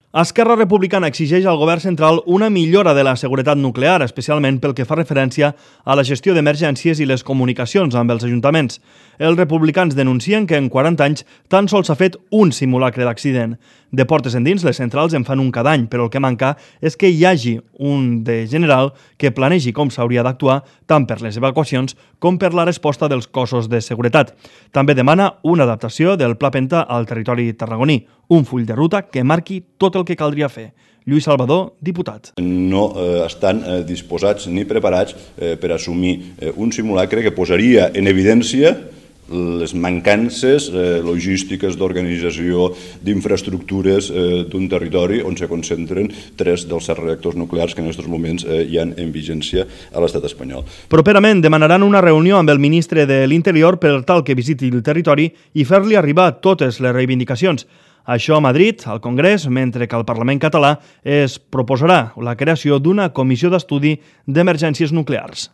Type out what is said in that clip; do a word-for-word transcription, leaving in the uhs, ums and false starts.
Esquerra Republicana exigeix al govern central una millora de la seguretat nuclear, especialment pel que fa referència a la gestió d'emergències i les comunicacions amb els ajuntaments. Els republicans denuncien que en quaranta anys tan sols s'ha fet un simulacre d'accident. De portes endins, les centrals en fan un cada any, però el que manca és que hi hagi un de general que planegi com s'hauria d'actuar tant per les evacuacions com per la resposta dels cossos de seguretat. També demana una adaptació del Pla Penta al territori tarragoní, un full de ruta que marqui tot el que caldria fer. Lluís Salvador, diputat. No eh, estan eh, disposats ni preparats eh, per assumir eh, un simulacre que posaria en evidència les mancances eh, logístiques d'organització d'infraestructures eh, d'un territori on se concentren tres dels set reactors nuclears que en aquests moments eh, hi ha en vigència a l'estat espanyol. Properament demanaran una reunió amb el ministre de l'Interior per tal que visiti el territori i fer-li arribar totes les reivindicacions. Això a Madrid, al Congrés, mentre que al Parlament català es proposarà la creació d'una comissió d'estudi d'emergències nuclears.